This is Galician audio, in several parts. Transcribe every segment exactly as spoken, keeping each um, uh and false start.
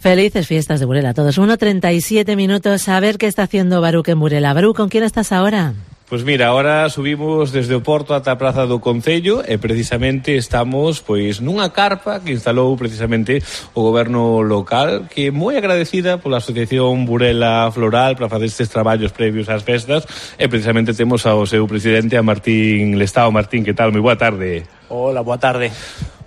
Felices fiestas de Burela a todos. uno treinta y siete minutos. A ver qué está haciendo Baruc en Burela. Baruc, ¿con quién estás ahora? Pois mira, ahora subimos desde o Porto ata a Praza do Concello e precisamente estamos pois nunha carpa que instalou precisamente o goberno local, que é moi agradecida pola Asociación Burela Floral para facer estes traballos previos ás festas, e precisamente temos ao seu presidente, a Martín Lestao. Martín, que tal? Moi boa tarde. Hola, boa tarde.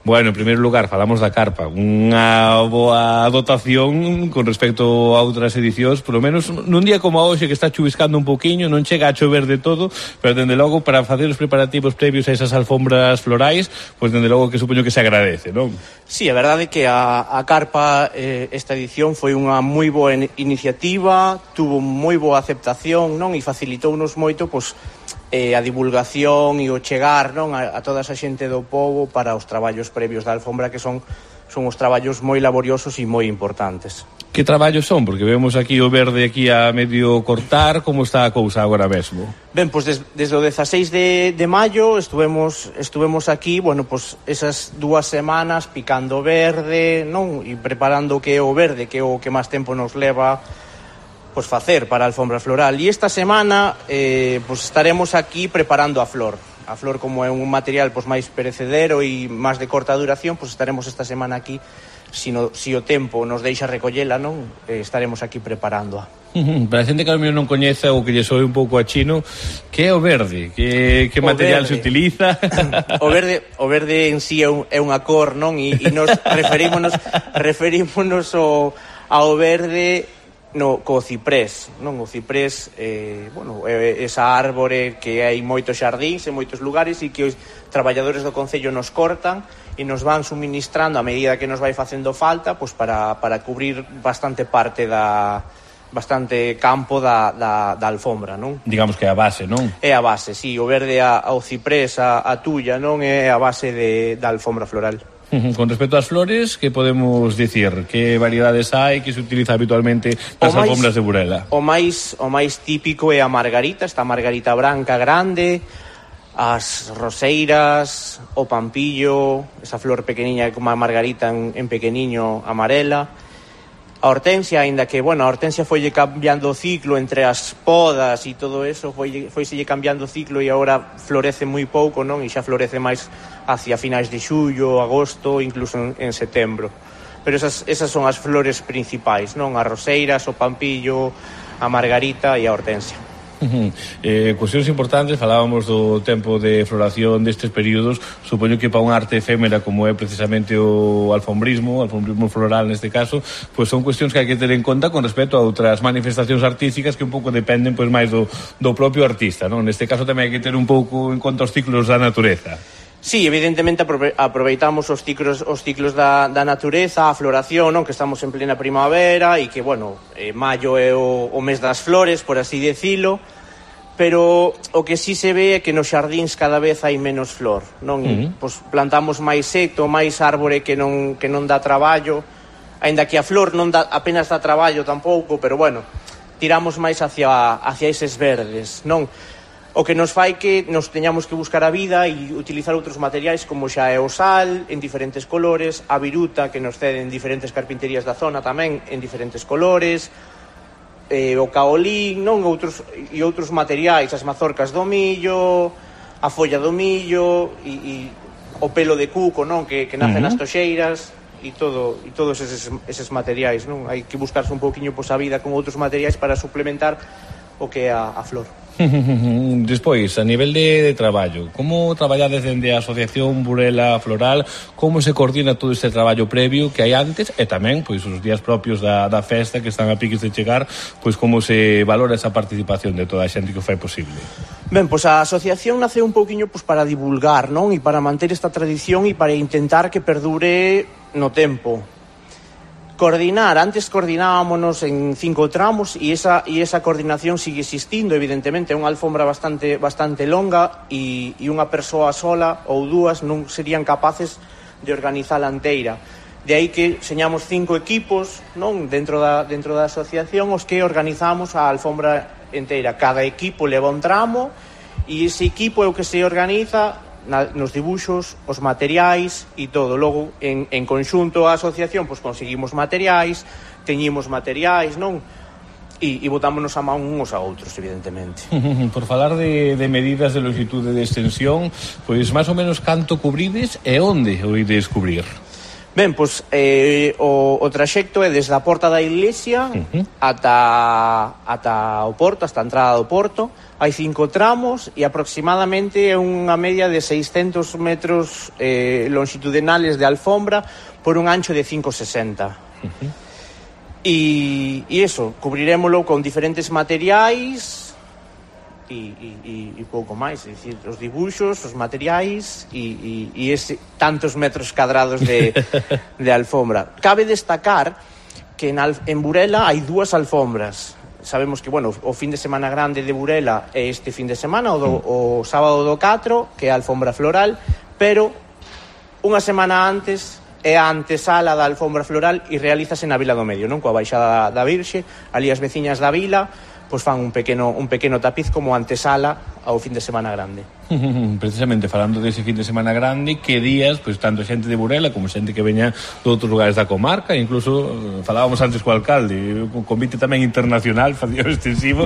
Bueno, en primeiro lugar, falamos da carpa, unha boa dotación con respecto a outras edicións, polo menos nun día como hoxe que está chuviscando un poquinho, non chega a chover de todo, pero dende logo para facer os preparativos previos a esas alfombras florais, pois dende logo que supoño que se agradece, non? Sí, a verdade é que a, a carpa eh, esta edición foi unha moi boa iniciativa, tuvo moi boa aceptación, non? E facilitounos moito, pois, eh, a divulgación e o chegar, non, a, a toda esa xente do pobo para os traballos previos da alfombra, que son son os traballos moi laboriosos e moi importantes. Que traballos son? Porque vemos aquí o verde aquí a medio cortar. Como está a cousa agora mesmo? Ben, pois des, desde o dezaseis de, de maio estuvemos estuvemos aquí, bueno, pois esas dúas semanas picando verde, non? E preparando o que é o verde, que é o que máis tempo nos leva pois facer para a alfombra floral. E esta semana eh, pois estaremos aquí preparando a flor. A flor, como é un material pois máis perecedero e máis de corta duración, pois estaremos esta semana aquí, si, no, si o tempo nos deixa recollela, non, eh, estaremos aquí preparándoa. Para a xente que a mí non coñece ou que lle soe un pouco a chino, que é o verde? Que, que material verde se utiliza? O verde, o verde en sí é, un, é unha cor, non? E, e nos referímonos, referímonos ao, ao verde no, co ciprés, non? O ciprés, eh, bueno, é esa árbore que hai moitos xardíns en moitos lugares e que os traballadores do Concello nos cortan e nos van suministrando a medida que nos vai facendo falta, pois para, para cubrir bastante parte da bastante campo da, da, da alfombra, non? Digamos que é a base, non? É a base, sí, o verde a, ao ciprés, a, a tulla, non? É a base de, da alfombra floral. Con respecto ás flores, que podemos dicir? Que variedades hai que se utiliza habitualmente nas alfombras de Burela? O máis o máis típico é a margarita, esta margarita branca grande, as roseiras, o pampillo, esa flor pequeniña como a margarita en, en pequeniño, amarela. A hortensia, aínda que, bueno, a hortensia foille cambiando o ciclo entre as podas e todo eso, foi foiselle cambiando o ciclo e agora florece moi pouco, non? E xa florece máis hacia finais de xullo, agosto, incluso en, en setembro. Pero esas, esas son as flores principais, non? As roseiras, o pampillo, a margarita e a hortensia. Uh-huh. Eh, cuestións importantes, falábamos do tempo de floración destes períodos. Supoño que para unha arte efémera como é precisamente o alfombrismo, o alfombrismo floral neste caso, pois son cuestións que hai que ter en conta con respecto a outras manifestacións artísticas que un pouco dependen pois máis do, do propio artista, non? Neste caso tamén hai que ter un pouco en conta os ciclos da natureza. Sí, evidentemente aproveitamos os ciclos os ciclos da, da natureza, a floración, non? Que estamos en plena primavera e que, bueno, eh, maio é o, o mes das flores, por así decilo, pero o que sí se ve é que nos xardíns cada vez hai menos flor, non? Uh-huh. Pois plantamos máis seto, máis árbore que non que non dá traballo, aínda que a flor non dá, apenas dá traballo tampouco, pero bueno, tiramos máis hacia hacia eses verdes, non? O que nos fai que nos teñamos que buscar a vida e utilizar outros materiais como xa é o sal en diferentes colores, a viruta que nos ceden diferentes carpinterías da zona tamén en diferentes colores, eh, o caolín, non, outros e outros materiais, as mazorcas do millo, a folla do millo e, e o pelo de cuco, non, que, que nace uh-huh. nas toxeiras e todo e todos eses, eses materiais, non? Hai que buscarse un pouquiño pois a vida con outros materiais para suplementar o que é a, a flor. Despois, a nivel de, de traballo, como traballades dende a Asociación Burela Floral? Como se coordina todo este traballo previo que hai antes e tamén pois os días propios da, da festa que están a piques de chegar, pois como se valora esa participación de toda a xente que o fai posible? Ben, pois a asociación nace un pouquiño pois para divulgar, non? E para manter esta tradición e para intentar que perdure no tempo. Coordinar, antes coordinábamos en cinco tramos e esa e esa coordinación sigue existindo, evidentemente, é unha alfombra bastante bastante longa e, e unha persoa sola ou dúas non serían capaces de organizala inteira. De aí que señamos cinco equipos, non, dentro da dentro da asociación os que organizamos a alfombra inteira. Cada equipo leva un tramo e ese equipo é o que se organiza na, nos dibuxos, os materiais e todo. Logo, en, en conxunto a asociación, pois conseguimos materiais, teñimos materiais, non? E, e botámonos a man uns a outros, evidentemente. Por falar de, de medidas de longitude e de extensión, pois máis ou menos canto cubrides e onde o ides cubrir? Ben, pois eh, o, o traxecto é desde a porta da iglesia uh-huh. ata, ata o porto, hasta a entrada do porto. Hai cinco tramos e aproximadamente é unha media de seiscentos metros eh, longitudinales de alfombra por un ancho de cinco sesenta. Uh-huh. E, e eso, cubrirémolo con diferentes materiais e, e, e pouco máis, é dicir, os dibuxos, os materiais e, e, e ese, tantos metros cadrados de, de alfombra. Cabe destacar que en, en Burela hai dúas alfombras. Sabemos que, bueno, o fin de semana grande de Burela é este fin de semana, o, do, o sábado do catro, que é a alfombra floral, pero unha semana antes é a antesala da alfombra floral e realízase na Vila do Medio, non? Coa baixada da Virxe, ali as veciñas da vila pois fan un pequeno, un pequeno tapiz como antesala ao fin de semana grande. Precisamente falando dese fin de semana grande, que días, pois tanto xente de Burela como xente que veña de outros lugares da comarca, incluso falábamos antes co alcalde, un convite tamén internacional, facía extensivo,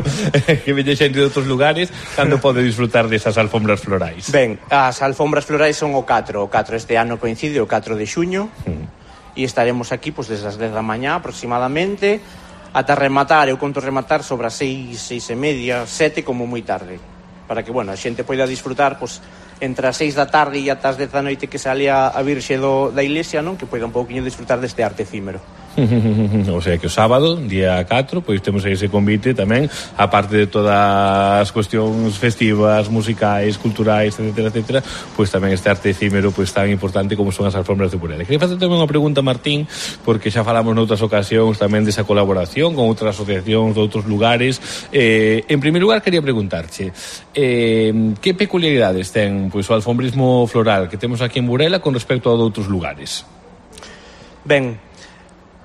que veña xente de outros lugares, cando pode disfrutar desas alfombras florais? Ben, as alfombras florais son o catro, o catro este ano coincide o catro de xuño, mm. e estaremos aquí pois desde as dez da mañá aproximadamente, ata rematar, eu conto rematar sobre as seis, seis e media, sete como moi tarde, para que, bueno, a xente poida disfrutar pois, entre as seis da tarde e ata as dez da noite que sale a, a Virxe do, da iglesia, non? Que poida un pouquinho disfrutar deste arte efímero. O sea que o sábado, día catro, pois temos ese convite tamén, aparte de todas as cuestións festivas, musicais, culturais, etcétera, etcétera, pois tamén este arte efímero pois tan importante como son as alfombras de Burela. Queria facer tamén unha pregunta, Martín, porque xa falamos noutras ocasións tamén desa colaboración con outras asociacións de outros lugares. Eh, en primeiro lugar, quería preguntarche eh, que peculiaridades ten pois o alfombrismo floral que temos aquí en Burela con respecto a de outros lugares? Ben,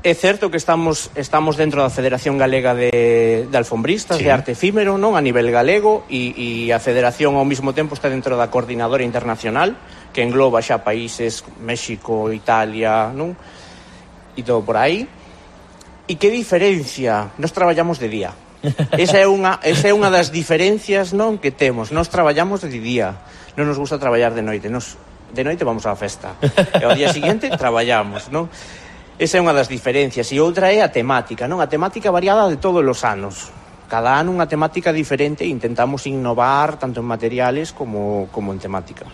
é certo que estamos estamos dentro da Federación Galega de, de Alfombristas, sí. de arte efímero, non? A nivel galego, e, e a Federación ao mesmo tempo está dentro da Coordinadora Internacional, que engloba xa países México, Italia, non? E todo por aí. E que diferencia? Nos traballamos de día. Esa é unha, esa é unha das diferencias, non, que temos. Nos traballamos de día. Non nos gusta traballar de noite. Nos, de noite vamos á festa. E ao día seguinte traballamos, non? Esa é unha das diferencias. E outra é a temática, non? A temática variada de todos os anos. Cada ano unha temática diferente e intentamos innovar tanto en materiales como, como en temática.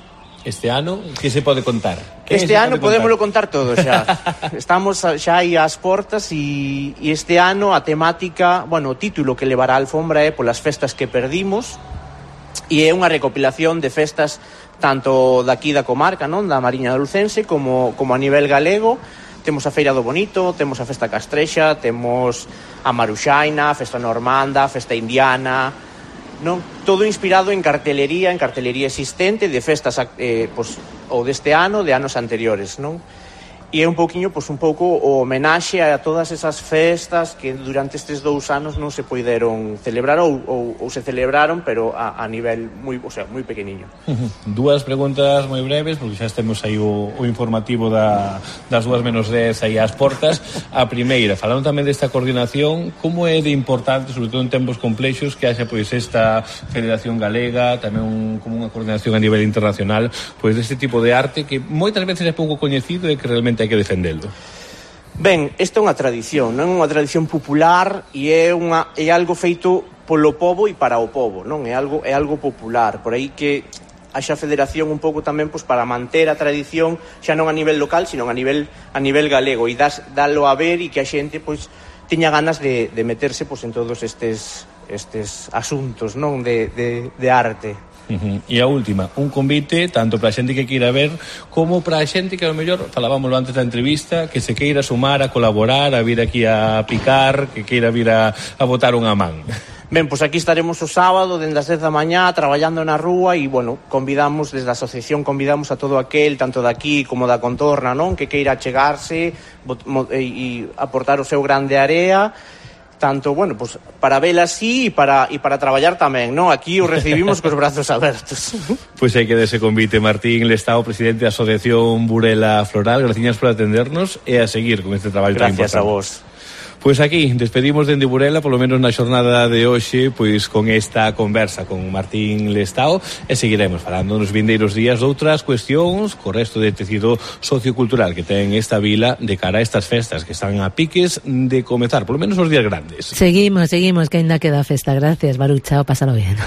Este ano, que se pode contar? Este ano podémoslo contar todo xa. Estamos xa aí ás portas e, e este ano a temática, bueno, o título que levará a alfombra é Polas festas que perdimos, e é unha recopilación de festas tanto daqui da comarca, non? Da Mariña de Lucense como, como a nivel galego. Temos a Feira do Bonito, temos a Festa Castrexa, temos a Maruxaina, a Festa Normanda, a Festa Indiana, non? Todo inspirado en cartelería, en cartelería existente de festas eh, pues, ou deste ano, de anos anteriores, non? E é un pouquiño, pois, un pouco o homenaxe a todas esas festas que durante estes dous anos non se poideron celebrar ou, ou, ou se celebraron, pero a, a nivel moi, o sea, moi pequeniño. Dúas preguntas moi breves, porque xa temos aí o, o informativo da, das dúas menos dez aí ás portas. A primeira, falando tamén desta coordinación, como é de importante, sobre todo en tempos complexos, que haxa pois esta Federación Galega, tamén un, como unha coordinación a nivel internacional, pois deste tipo de arte que moitas veces é pouco coñecido e que realmente hai que defendelo. Ben, esta é unha tradición, non é unha tradición popular e é unha é algo feito polo pobo e para o pobo, non? É algo é algo popular, por aí que haxa federación un pouco tamén pois para manter a tradición xa non a nivel local, sino a nivel a nivel galego e das dalo a ver e que a xente pois teña ganas de de meterse pois en todos estes estes asuntos, non, de de de arte. Uh-huh. E a última, un convite tanto para a xente que queira ver como para a xente que ao mellor, falábamoslo antes da entrevista, que se queira sumar a colaborar, a vir aquí a picar, que queira vir a, a botar unha man. Ben, pois aquí estaremos o sábado dende as dez da mañá traballando na rúa e, bueno, convidamos desde a asociación, convidamos a todo aquel, tanto daqui como da contorna, non? Que queira chegarse e, e aportar o seu grande area tanto, bueno, pues para vela así e para, e para traballar tamén, non? Aquí o recibimos cos brazos abertos. Pois hai que dese convite, Martín Lestao, presidente da Asociación Burela Floral, graciñas por atendernos e a seguir con este traballo tan importante. Gracias a vos. Pois aquí, despedimos dende Burela, polo menos na xornada de hoxe, pois con esta conversa con Martín Lestao, e seguiremos falando nos vindeiros días de outras cuestións co resto de tecido sociocultural que ten esta vila de cara a estas festas que están a piques de comezar, polo menos os días grandes. Seguimos, seguimos, que ainda queda festa. Gracias, Baru, chao, pásalo bien.